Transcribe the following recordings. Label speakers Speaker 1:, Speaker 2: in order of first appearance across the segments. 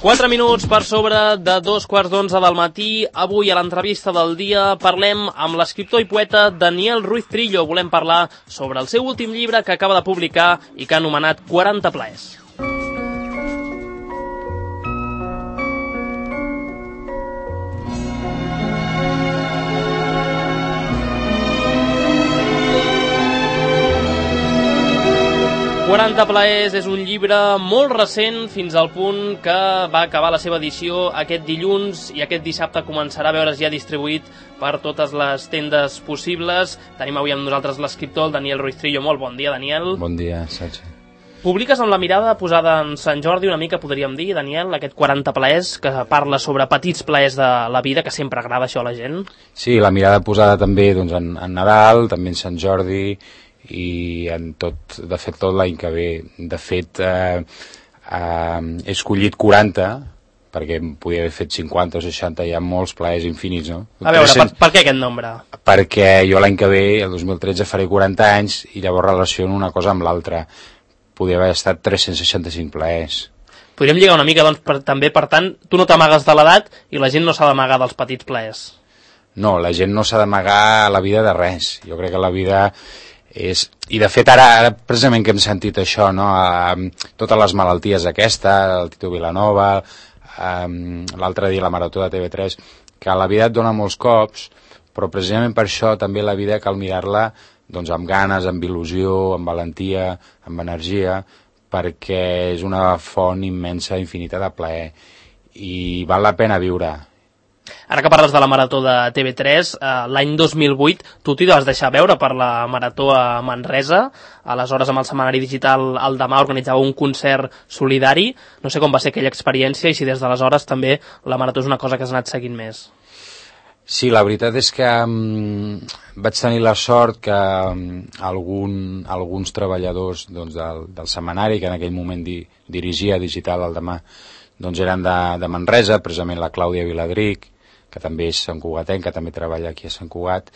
Speaker 1: 4 minuts per sobre de 2:15 del matí. Avui a l'entrevista del dia parlem amb l'escriptor i poeta Daniel Ruiz Trillo. Volem parlar sobre el seu últim llibre que acaba de publicar i que ha anomenat 40 plaers. «40 plaers» és un llibre molt recent, fins al punt que va acabar la seva edició aquest dilluns i aquest dissabte començarà a veure's ja distribuït per totes les tendes possibles. Tenim avui amb nosaltres l'escriptor, el Daniel Ruiz Trillo. Molt bon dia, Daniel.
Speaker 2: Bon dia, Sachi.
Speaker 1: Publiques amb la mirada posada en Sant Jordi una mica, podríem dir, Daniel, aquest 40 plaers, que parla sobre petits plaers de la vida, que sempre agrada això a la gent.
Speaker 2: Sí, la mirada posada també doncs, en Nadal, també en Sant Jordi, i en tot, de fet tot l'any que ve. De fet he escollit 40 perquè podia haver fet 50 o 60, hi ha molts plaers infinits, no?
Speaker 1: A veure, per què aquest nombre?
Speaker 2: Perquè jo l'any que ve, el 2013, faré 40 anys i llavors relaciono una cosa amb l'altra. Podria haver estat 365 plaers.
Speaker 1: Podríem lligar una mica, doncs, també, per tant, tu no t'amagues de l'edat i la gent no s'ha d'amagar dels petits plaers.
Speaker 2: No, la gent no s'ha d'amagar a la vida de res. Jo crec que la vida és... I de fet ara precisament que hem sentit això, no? Totes les malalties aquesta, el Tito Vilanova, l'altre dia la Marató de TV3, que la vida et dona molts cops, però precisament per això també la vida cal mirar-la doncs, amb ganes, amb il·lusió, amb valentia, amb energia, perquè és una font immensa, infinita de plaer, i val la pena viure.
Speaker 1: Ara que parles de la Marató de TV3, l'any 2008 tu t'hi vas deixar veure per la Marató a Manresa, aleshores amb el setmanari digital El Demà organitzava un concert solidari. No sé com va ser aquella experiència i si des d'aleshores també la Marató és una cosa que has anat seguint més.
Speaker 2: Sí, la veritat és que vaig tenir la sort que alguns treballadors doncs, del setmanari, que en aquell moment dirigia digital El Demà, doncs eren de Manresa, precisament la Clàudia Viladric, que també és santcugatenca, que també treballa aquí a Sant Cugat,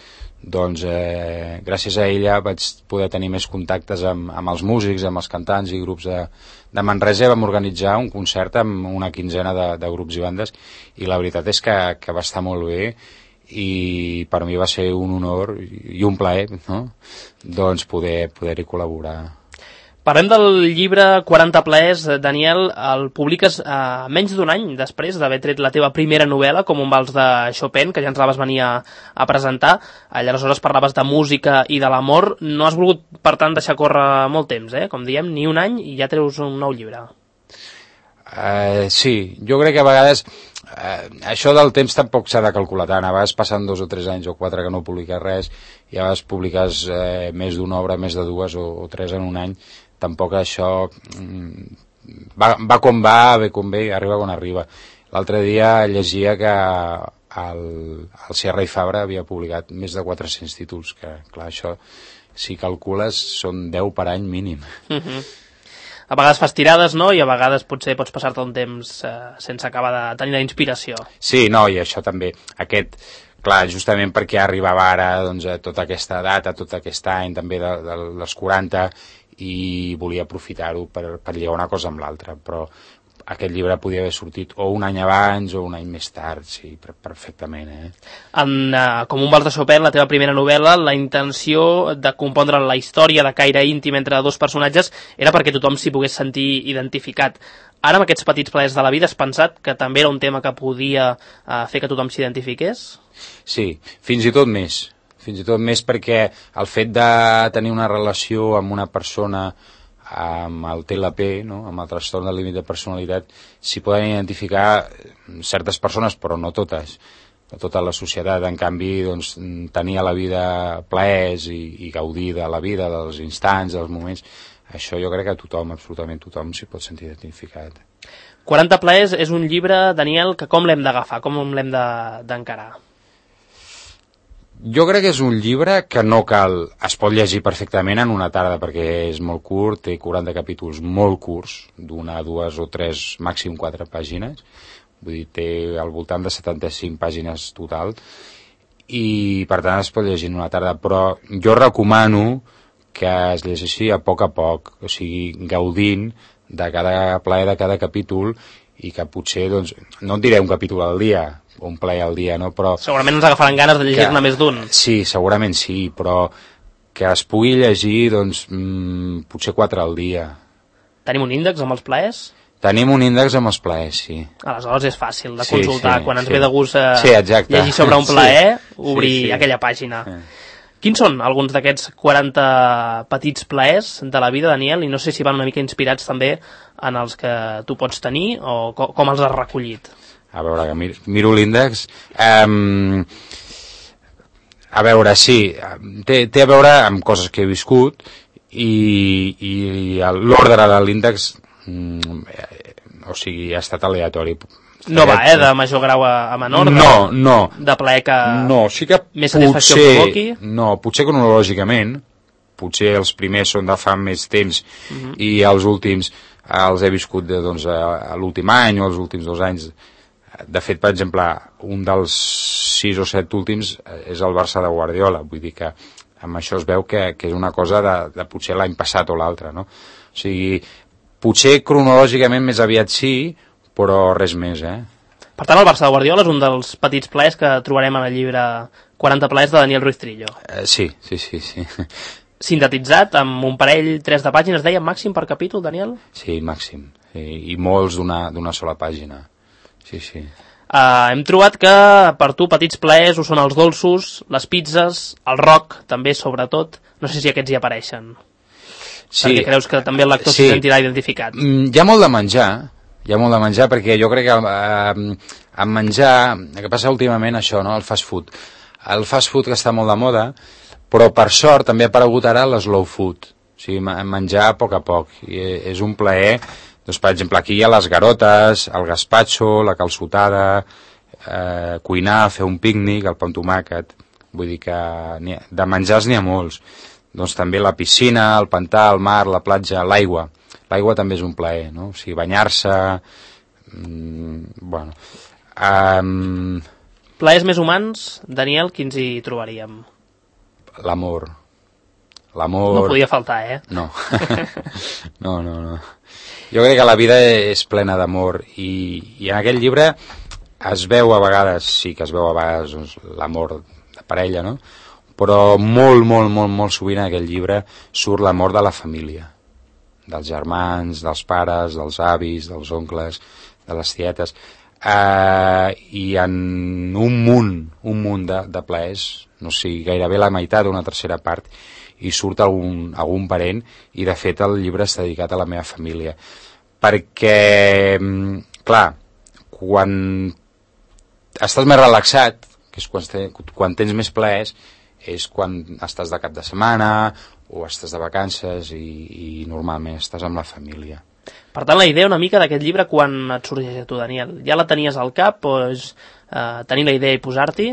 Speaker 2: doncs gràcies a ella vaig poder tenir més contactes amb els músics, amb els cantants i grups de Manresa. Vam organitzar un concert amb una quinzena de grups i bandes i la veritat és que va estar molt bé i per mi va ser un honor i un plaer, no? Doncs poder-hi col·laborar.
Speaker 1: Parlem del llibre 40 plaers, Daniel. El publiques menys d'un any després d'haver tret la teva primera novel·la, com un vals de Chopin, que ja ens la vas venir a presentar. Aleshores parlaves de música i de l'amor. No has volgut, per tant, deixar córrer molt temps, com diem, ni un any i ja treus un nou llibre.
Speaker 2: Sí, jo crec que a vegades això del temps tampoc s'ha de calcular tant. A vegades passen 2 o 3 anys o 4 que no publiques res i a vegades publiques més d'una obra, més de 2 o 3 en un any. Tampoc això va com va, ve com ve, arriba quan arriba. L'altre dia llegia que el Sierra i Fabra havia publicat més de 400 títols, que clar, això, si calcules, són 10 per any mínim.
Speaker 1: A vegades fas tirades, no?, i a vegades potser pots passar-te un temps sense acabar de tenir la inspiració.
Speaker 2: Sí, no, i això també, clar, justament perquè arribava ara doncs, a tota aquesta data, tot aquest any també dels 40, i volia aprofitar-ho per lligar una cosa amb l'altra, però aquest llibre podia haver sortit o un any abans o un any més tard, sí, perfectament.
Speaker 1: Com un vals de Chopin, la teva primera novel·la, la intenció de compondre la història de caire íntim entre dos personatges era perquè tothom s'hi pogués sentir identificat. Ara, amb aquests petits plaers de la vida, has pensat que també era un tema que podia fer que tothom s'identifiqués?
Speaker 2: Sí, fins i tot més perquè el fet de tenir una relació amb una persona amb el TLP, no? Amb el trastorn del límit de personalitat, s'hi poden identificar certes persones, però no totes, no tota la societat. En canvi, doncs, tenir a la vida plaers i gaudir de la vida, dels instants, dels moments, això jo crec que tothom, absolutament tothom, s'hi pot sentir identificat.
Speaker 1: 40 plaers és un llibre, Daniel, que com l'hem d'agafar, com l'hem d'encarar?
Speaker 2: Jo crec que és un llibre que no cal... Es pot llegir perfectament en una tarda perquè és molt curt, té 40 capítols molt curts, d'una, 2 o 3, màxim 4 pàgines. Vull dir, té al voltant de 75 pàgines total i per tant es pot llegir en una tarda, però jo recomano que es llegeixi a poc, o sigui, gaudint de cada plaer de cada capítol i que potser, doncs, no et diré un capítol al dia, o un plaer al dia, no? Però
Speaker 1: segurament ens agafaran ganes de llegir-ne més d'un.
Speaker 2: Sí, segurament sí, però que es pugui llegir, doncs, potser 4 al dia.
Speaker 1: Tenim un índex amb els plaers?
Speaker 2: Tenim un índex amb els plaers, sí.
Speaker 1: Aleshores és fàcil de consultar. Quan ens ve de gust llegir sobre un plaer, obrir aquella pàgina. Quins són alguns d'aquests 40 petits plaers de la vida, Daniel? I no sé si van una mica inspirats també en els que tu pots tenir o com els has recollit.
Speaker 2: A veure, que miro l'índex. A veure, sí, té a veure amb coses que he viscut i l'ordre de l'índex o sigui, ha estat aleatori.
Speaker 1: No va, de major grau a menor?
Speaker 2: No.
Speaker 1: De plaer que
Speaker 2: no, sí que
Speaker 1: més satisfacció provoqui?
Speaker 2: No, potser cronològicament, potser els primers són de fa més temps i els últims els he viscut doncs, a l'últim any o els últims 2 anys. De fet, per exemple, un dels 6 o 7 últims és el Barça de Guardiola, vull dir que amb això es veu que és una cosa de potser l'any passat o l'altre, no? O sigui, potser cronològicament més aviat sí, però res més,
Speaker 1: Per tant, el Barça de Guardiola és un dels petits plaers que trobarem en el llibre 40 plaers de Daniel Ruiz Trillo.
Speaker 2: Sí.
Speaker 1: Sintetitzat amb un parell, 3 de pàgines, deia màxim per capítol, Daniel?
Speaker 2: Sí, màxim. I molts d'una sola pàgina. Sí.
Speaker 1: Hem trobat que per tu petits plaers ho són els dolços, les pizzas, el rock, també, sobretot. No sé si aquests hi apareixen. Sí. Perquè creus que també el lector s'hi sentirà identificat.
Speaker 2: Hi ha molt de menjar, perquè jo crec que en menjar, el que passa últimament això, no? El fast food. El fast food que està molt de moda, però per sort també ha aparegut ara l'slow food, o sigui, menjar a poc. I és un plaer, doncs, per exemple, aquí hi ha les garotes, el gaspatxo, la calçotada, cuinar, fer un pícnic, el pa amb tomàquet, vull dir que de menjars n'hi ha molts. Doncs també la piscina, el pantà, el mar, la platja, l'aigua. L'aigua també és un plaer, no? O sigui, banyar-se... bueno...
Speaker 1: Plaers més humans, Daniel, quins hi trobaríem?
Speaker 2: L'amor.
Speaker 1: No podia faltar,
Speaker 2: No. No. Jo crec que la vida és plena d'amor i en aquest llibre es veu a vegades, sí que es veu a vegades doncs, l'amor de parella, no? Però molt sovint en aquest llibre surt l'amor de la família, dels germans, dels pares, dels avis, dels oncles, de les tietes, i en un munt de plaers, no sé, gairebé la meitat o una tercera part, i surt algun parent, i de fet el llibre està dedicat a la meva família. Perquè, clar, quan estàs més relaxat, que és quan tens més plaers, és quan estàs de cap de setmana o estàs de vacances i normalment estàs amb la família.
Speaker 1: Per tant, la idea una mica d'aquest llibre quan et sorgeix a tu, Daniel? Ja la tenies al cap o és tenir la idea i posar-t'hi?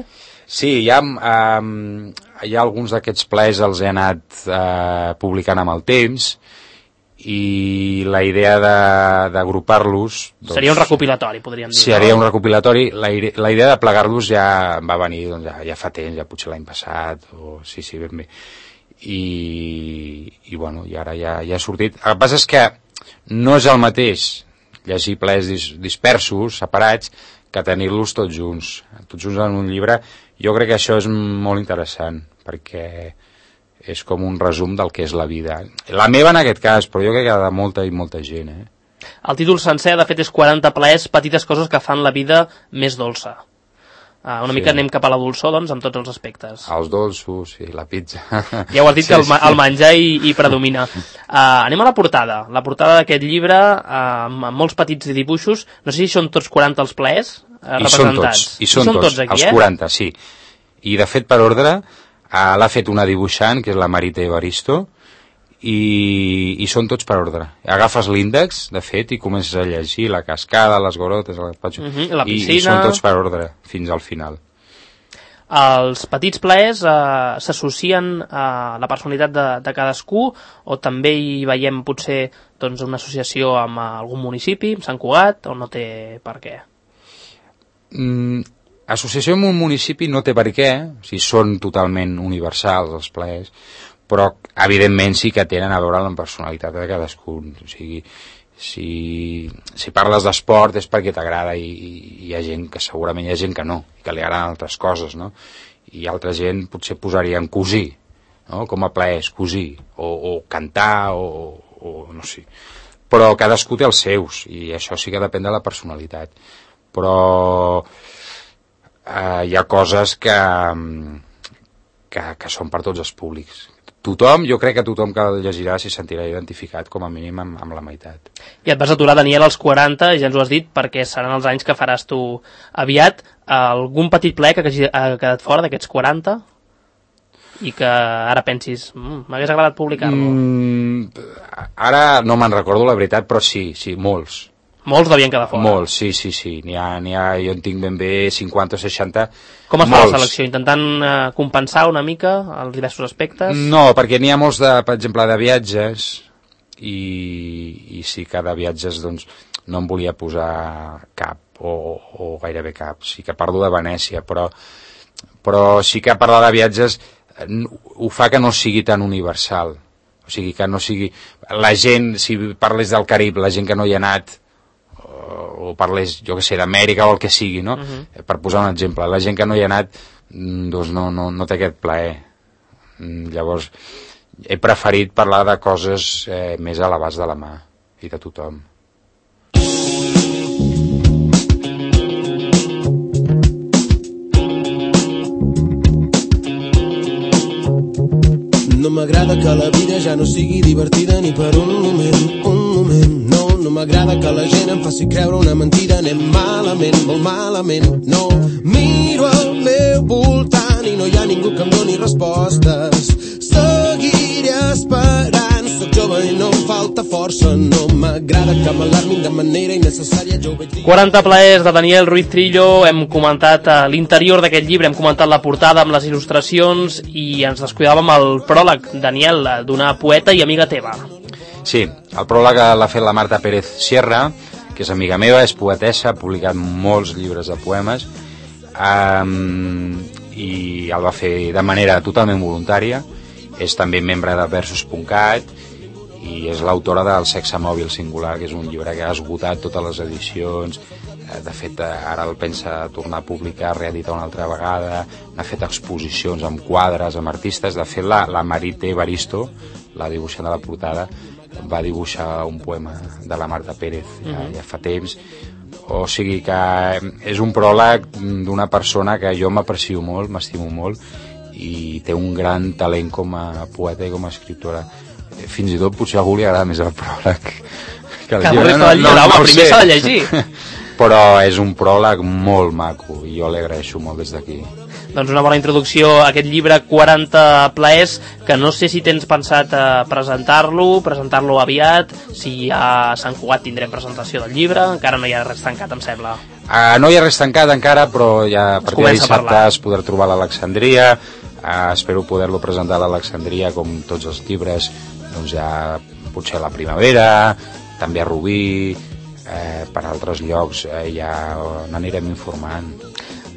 Speaker 2: Sí, hi ha alguns d'aquests plaers els he anat publicant amb el temps i la idea d'agrupar-los... Doncs,
Speaker 1: seria un recopilatori, podríem dir.
Speaker 2: Seria un recopilatori. La idea de plegar-los ja va venir doncs, ja fa temps, ja potser l'any passat, o sí, ben bé. I bueno, i ara ja ha sortit. El que passa és que no és el mateix llegir plaers dispersos, separats, que tenir-los tots junts en un llibre. Jo crec que això és molt interessant, perquè és com un resum del que és la vida. La meva en aquest cas, però jo crec que de molta i molta gent.
Speaker 1: El títol sencer, de fet, és 40 plaers, petites coses que fan la vida més dolça. Una mica anem cap a la dolçor, doncs, en tots els aspectes.
Speaker 2: Els dolços, sí, la pizza.
Speaker 1: Ja ho has dit, que el menjar hi predomina. Anem a la portada. La portada d'aquest llibre, amb molts petits dibuixos. No sé si són tots 40 els plaers representats.
Speaker 2: I són tots aquí, els 40, sí. I, de fet, per ordre, l'ha fet una dibuixant, que és la Marita Evaristo, i són tots per ordre. Agafes l'índex, de fet, i comences a llegir la cascada, les gorotes, el gaspatxo,
Speaker 1: la piscina...
Speaker 2: i són tots per ordre, fins al final.
Speaker 1: Els petits plaers s'associen a la personalitat de cadascú, o també hi veiem potser doncs, una associació amb algun municipi, amb Sant Cugat, o no té per què?
Speaker 2: Associació amb un municipi no té per què, o sigui, són totalment universals els plaers, però evidentment sí que tenen a veure amb la personalitat de cadascun. O sigui, si parles d'esport és perquè t'agrada i hi ha gent que segurament hi ha gent que no, i que li agraden altres coses, no? I altra gent potser posaria en cosir, no? Com a plaers, cosir, o cantar, o no sé. Però cadascú té els seus, i això sí que depèn de la personalitat. Però hi ha coses que són per tots els públics. Tothom, jo crec que tothom que el llegirà s'hi sentirà identificat com a mínim amb la meitat.
Speaker 1: I et vas aturar, Daniel, als 40, ja ens ho has dit, perquè seran els anys que faràs tu aviat. Algun petit ple que ha quedat fora d'aquests 40 i que ara pensis, m'hagués agradat publicar-lo?
Speaker 2: Ara no me'n recordo la veritat, però sí, molts.
Speaker 1: Molts devien quedar fora.
Speaker 2: Molts, sí. N'hi ha, jo en tinc ben bé 50 o 60.
Speaker 1: Com es fa la selecció? Intentant compensar una mica els diversos aspectes?
Speaker 2: No, perquè n'hi ha molts, per exemple, de viatges, i sí que de viatges doncs, no em volia posar cap, o gairebé cap. Sí que parlo de Venècia, però sí que parlar de viatges ho fa que no sigui tan universal. O sigui, que no sigui... La gent, si parles del Carib, la gent que no hi ha anat, o parles, jo que sé, d'Amèrica o el que sigui, no? Per posar un exemple, la gent que no hi ha anat doncs no té aquest plaer. Llavors he preferit parlar de coses més a l'abast de la mà i de tothom.
Speaker 3: No m'agrada que la vida ja no sigui divertida ni per un moment, no m'agrada que la gent em faci creure una mentida, anem malament, molt malament, no. Miro al meu voltant i no hi ha ningú que em doni respostes, seguiré esperant, soc jove i no em falta força, no m'agrada que m'alarmin de manera innecessària, jo ho veig dir.
Speaker 1: 40 plaers de Daniel Ruiz Trillo, hem comentat l'interior d'aquest llibre, hem comentat la portada amb les il·lustracions i ens descuidàvem el pròleg, Daniel, d'una poeta i amiga teva.
Speaker 2: Sí, el pròleg l'ha fet la Marta Pérez Sierra, que és amiga meva, és poetessa, ha publicat molts llibres de poemes, i el va fer de manera totalment voluntària. És també membre de Versos.cat i és l'autora del Sexe Mòbil Singular, que és un llibre que ha esgotat totes les edicions. De fet, ara el pensa tornar a publicar, reeditar una altra vegada, n'ha fet exposicions amb quadres, amb artistes. De fet, la Marité Baristo, la dibuixant de la portada, va dibuixar un poema de la Marta Pérez ja fa temps. O sigui que és un pròleg d'una persona que jo m'aprecio molt, m'estimo molt, i té un gran talent com a poeta i com a escriptora. Fins i tot potser a algú li agrada més el pròleg que el llibre.
Speaker 1: Primer s'ha de llegir.
Speaker 2: Però és un pròleg molt maco i jo l'agraeixo molt des d'aquí.
Speaker 1: Doncs una bona introducció a aquest llibre 40 plaers, que no sé si tens pensat presentar-lo aviat, si a Sant Cugat tindrem presentació del llibre, encara no hi ha res tancat, em sembla.
Speaker 2: No hi ha res tancat encara, però ja a partir de dissabte es podrà trobar a l'Alexandria. Espero poder-lo presentar a l'Alexandria, com tots els llibres, doncs ja potser a la primavera, també a Rubí, per altres llocs ja n'anirem informant.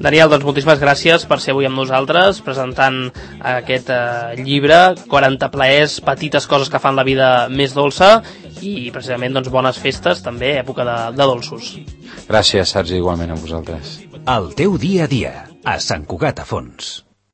Speaker 1: Daniel, doncs moltíssimes gràcies per ser avui amb nosaltres presentant aquest llibre, 40 plaers, petites coses que fan la vida més dolça, i precisament doncs bones festes també, època de dolços.
Speaker 2: Gràcies, Sergi, igualment a vosaltres.
Speaker 4: El teu dia a dia, a Sant Cugat a Fons.